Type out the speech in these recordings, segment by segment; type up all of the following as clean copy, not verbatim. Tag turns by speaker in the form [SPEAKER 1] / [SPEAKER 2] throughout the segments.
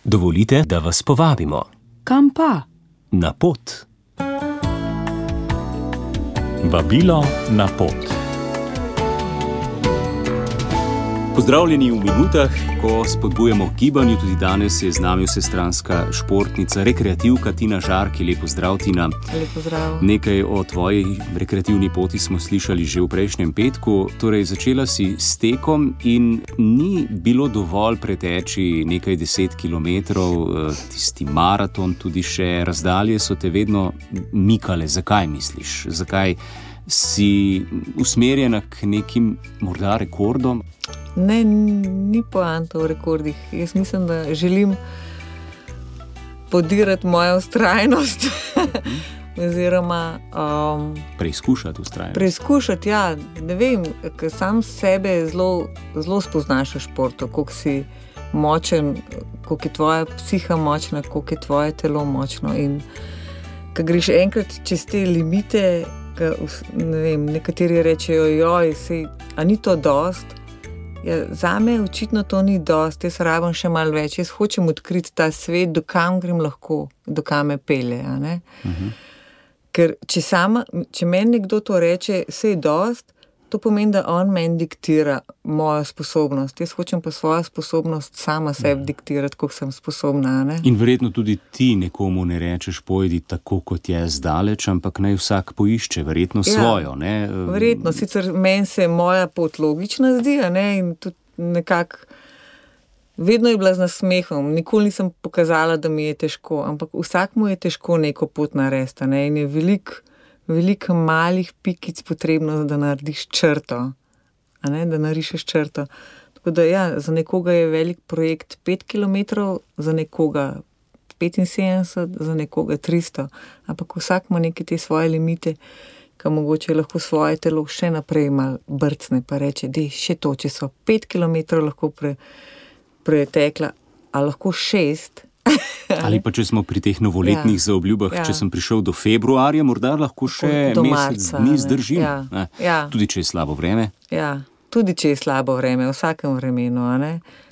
[SPEAKER 1] Dovolite, da vas povabimo.
[SPEAKER 2] Kam pa?
[SPEAKER 1] Na pot. Vabilo na pot. Pozdravljeni v minutah, ko spodbujamo k gibanju. Tudi danes je z nami vsestranska športnica, rekreativka Tina Žarki. Lep pozdrav, Tina.
[SPEAKER 2] Lep pozdrav.
[SPEAKER 1] Nekaj o tvoji rekreativni poti smo slišali že v prejšnjem petku. Torej, začela si s tekom in ni bilo dovolj preteči nekaj 10 kilometrov, tisti maraton, tudi še razdalje so te vedno mikale. Zakaj misliš? Zakaj si usmerjena k nekim morda rekordom?
[SPEAKER 2] Ne, ni poanta v rekordih. Jaz mislim, da želim podirati mojo vztrajnost. Oziroma
[SPEAKER 1] preizkušati vztrajnost.
[SPEAKER 2] Preizkušati, ja. Ne vem, ker sam sebe zelo spoznaš v športu, koliko si močen, koliko je tvoja psiha močna, koliko je tvoje telo močno. In ko greš enkrat čez te limite, ne vem, nekateri rečejo, a ni to dost? Ja, zame očitno to ni dost, jaz rabim še malo več, jaz hočem odkriti ta svet, do kam grem lahko, do kam me pelje. Ker če meni nekdo to reče, vse je dost, to pomeni, da on meni diktira mojo sposobnost. Jaz hočem pa svojo sposobnost sama sebi diktirati, koliko sem sposobna. Ne?
[SPEAKER 1] In verjetno tudi ti nekomu ne rečeš, pojdi tako, kot je zdaleč, ampak naj vsak poišče verjetno svojo. Ne?
[SPEAKER 2] Verjetno, sicer meni se moja pot logična zdi, in tudi nekako vedno je bila z nasmehom. Nikoli nisem pokazala, da mi je težko, ampak vsakmu je težko neko pot narediti. In je veliko malih pikic potrebno, da narediš črto. Da narišeš črto. Tako da za nekoga je velik projekt 5 kilometrov, za nekoga 75, za nekoga 300. Ampak vsak ima neke te svoje limite, ki mogoče lahko svoje telo še naprej malo brcne, pa reče, še to, če so 5 kilometrov lahko pretekla, a lahko 6.
[SPEAKER 1] Ali pa če smo pri teh novoletnih zaobljubah, če sem prišel do februarja, morda lahko še do mesec dni zdržim. Tudi če je slabo vreme.
[SPEAKER 2] Ja, tudi če je slabo vreme, v vsakem vremenu.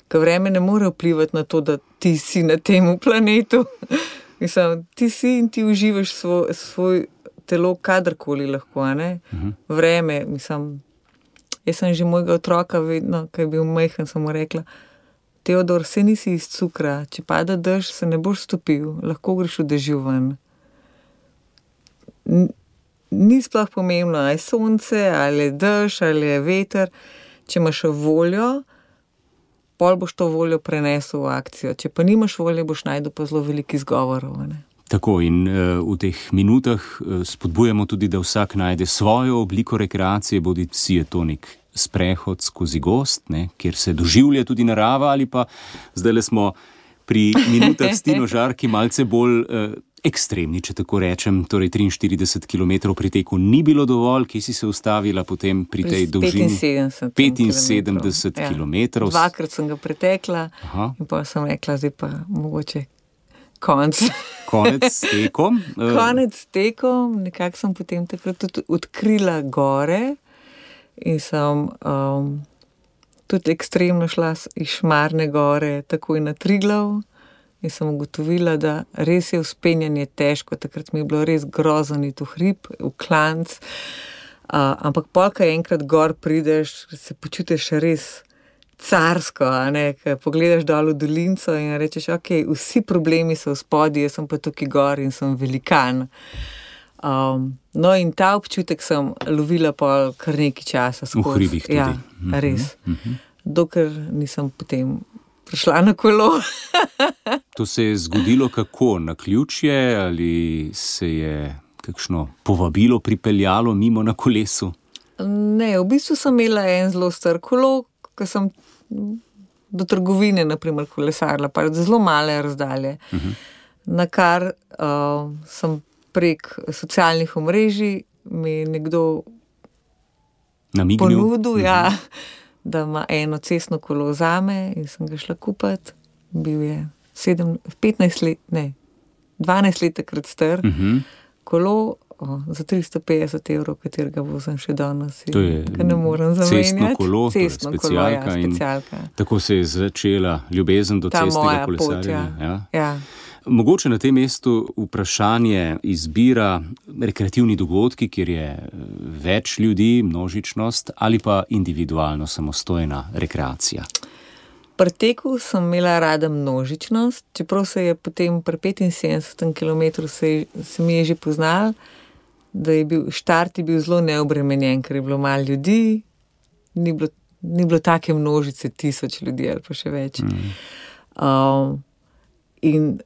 [SPEAKER 2] Ker vreme ne more vplivati na to, da ti si na tem planetu. Mislim, ti si in ti uživaš svoj telo kadarkoli lahko. Vreme, mislim, jaz sem že mojega otroka vedno, ko je bil majhen, sem mu rekla, Teodor, se nisi iz cukra, če pada dež, se ne boš stopil, lahko greš v dežju ven. Ni sploh pomembno, ali je sonce, ali je dež, ali je veter. Če imaš voljo, pol boš to voljo prenesel v akcijo. Če pa nimaš volje, boš najdel pa zelo veliko izgovorov.
[SPEAKER 1] Tako, in v teh minutah spodbujamo tudi, da vsak najde svojo obliko rekreacije, bodi si je to nek sprehod skozi gozd, kjer se doživlja tudi narava, ali pa zdajle smo pri minutah s Tino Žarki malce bolj ekstremni, če tako rečem, torej 43 km pri teku ni bilo dovolj, kje si se ustavila potem pri tej dolžini? 75 km.
[SPEAKER 2] Dvakrat sem ga pretekla. In pa sem rekla, zdaj pa mogoče konec s tekom. Konec s tekom, nekako sem potem takrat tudi odkrila gore. In sem tudi ekstremno šla iz Šmarne gore takoj na Triglav in sem ugotovila, da res je vzpenjanje težko. Takrat mi je bilo res grozen iti v hrib, v klanc. Ampak polka enkrat gor prideš, se počutiš res carsko, ko pogledaš dol v dolinco in rečeš, vsi problemi so v spodje, jaz sem pa tukaj gor in sem velikan. In ta občutek sem lovila pa kar nekaj časa skozi.
[SPEAKER 1] V hribih tudi.
[SPEAKER 2] Ja, res. Dokler nisem potem prišla na kolo.
[SPEAKER 1] To se je zgodilo kako? Naključje ali se je kakšno povabilo pripeljalo mimo na kolesu?
[SPEAKER 2] Ne, v bistvu sem imela en zelo star kolo, ko sem do trgovine, naprimer, kolesarila, pa zelo male razdalje. Na kar sem prek socialnih omrežij mi je nekdo ponudil, da ima eno cestno kolo zame in sem ga šla kupiti. Bil je 12 let takrat star. Kolo, za 350 €, katerega vozim še danes.
[SPEAKER 1] To je cestno kolo, specialka. Tako se je začela ljubezen do cestnega kolesarjenja.
[SPEAKER 2] Ja.
[SPEAKER 1] Mogoče na tem mestu vprašanje izbira rekreativni dogodki, kjer je več ljudi, množičnost ali pa individualno samostojna rekreacija.
[SPEAKER 2] Pri teku sem imela rada množičnost, čeprav se je potem pri 75 km se mi je že poznal, da je bil štart zelo neobremenjen, ker je bilo malo ljudi, ni bilo take množice, 1000 ljudi ali pa še več. In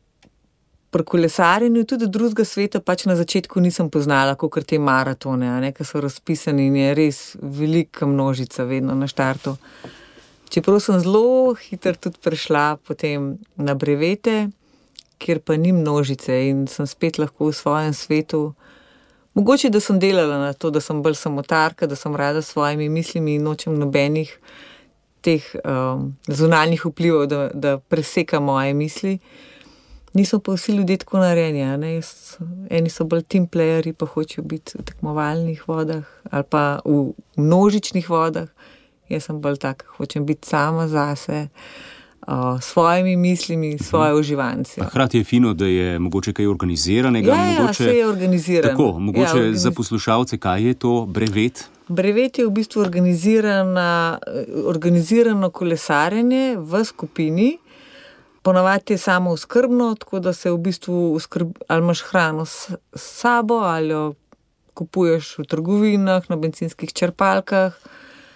[SPEAKER 2] pri kolesarjenju tudi drugega sveta pač na začetku nisem poznala, kakor te maratone, ki so razpisani in je res velika množica vedno na štartu. Čeprav sem zelo hitro tudi prišla potem na brevete, kjer pa ni množice in sem spet lahko v svojem svetu. Mogoče, da sem delala na to, da sem bolj samotarka, da sem rada s svojimi mislimi in nočem nobenih teh zunanjih vplivov, da preseka moje misli. Nismo pa vsi ljudje tako narejeni, eni so bolj team playerji, pa hočejo biti v tekmovalnih vodah ali pa v množičnih vodah. Jaz sem bolj tak, hočem biti sama zase, s svojimi mislimi, svoje uživanci.
[SPEAKER 1] Hkrati je fino, da je mogoče kaj organiziranega.
[SPEAKER 2] Ja, vse je organizirano.
[SPEAKER 1] Tako, mogoče za poslušalce, kaj je to brevet?
[SPEAKER 2] Brevet je v bistvu organizirano kolesarjenje v skupini. Ponavadi je samo oskrbno, tako da se v bistvu ali imaš hrano s sabo, ali jo kupuješ v trgovinah, na bencinskih črpalkah.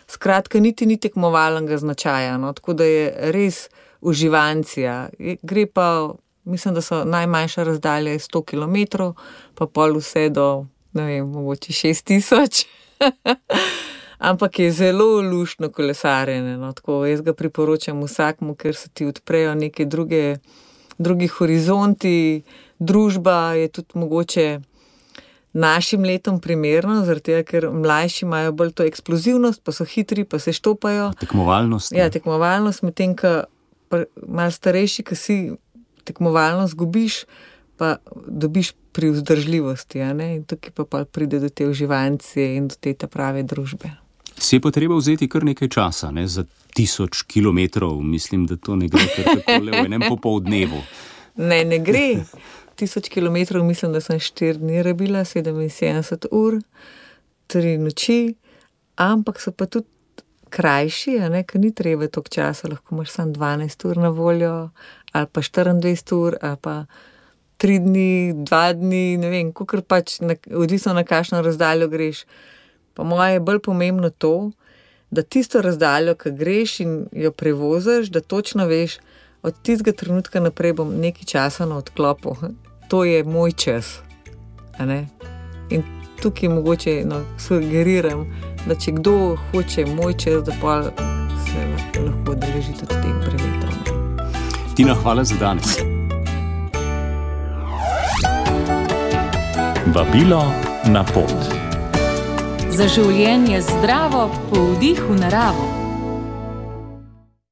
[SPEAKER 2] Skratka, niti ni tekmovalnega značaja, tako da je res uživancija. Gre pa, mislim, da so najmanjša razdalja 100 km, pa pol vse do, ne vem, mogoče 6000. Ampak je zelo luštno kolesarjenje, tako jaz ga priporočam vsakmu, ker se ti odprejo neke drugi horizonti, družba je tudi mogoče našim letom primerno, zaradi tega, ker mlajši imajo bolj to eksplozivnost, pa so hitri, pa se štopajo.
[SPEAKER 1] Tekmovalnost.
[SPEAKER 2] Ja, tekmovalnost, medtem, ko malo starejši, ko si tekmovalnost gubiš, pa dobiš pri vzdržljivosti, in tukaj pa pride do te uživancije in do te prave družbe.
[SPEAKER 1] Si je pa treba vzeti kar nekaj časa, za 1000 kilometrov, mislim, da to ne gre kar takole v enem popoldnevu.
[SPEAKER 2] Ne gre. 1000 kilometrov, mislim, da sem 4 dni rabila, 77 ur, 3 noči, ampak so pa tudi krajši, ker ni treba toliko časa, lahko imaš samo 12 ur na voljo, ali pa 24 ur, ali pa 3 dni, 2 dni, ne vem, kakor pač, odvisno na kakšno razdaljo greš. Pa moje je bolj pomembno to, da tisto razdaljo, ki greš in jo prevoziš, da točno veš, od tistega trenutka naprej bom nekaj časa na odklopu. To je moj čas. In tukaj mogoče sugeriram, da če kdo hoče moj čas, da pa se lahko odeleži tudi teh brevetov.
[SPEAKER 1] Tina, hvala za danes.
[SPEAKER 3] Vabilo na pot.
[SPEAKER 4] Za življenje zdravo po vdihu naravo.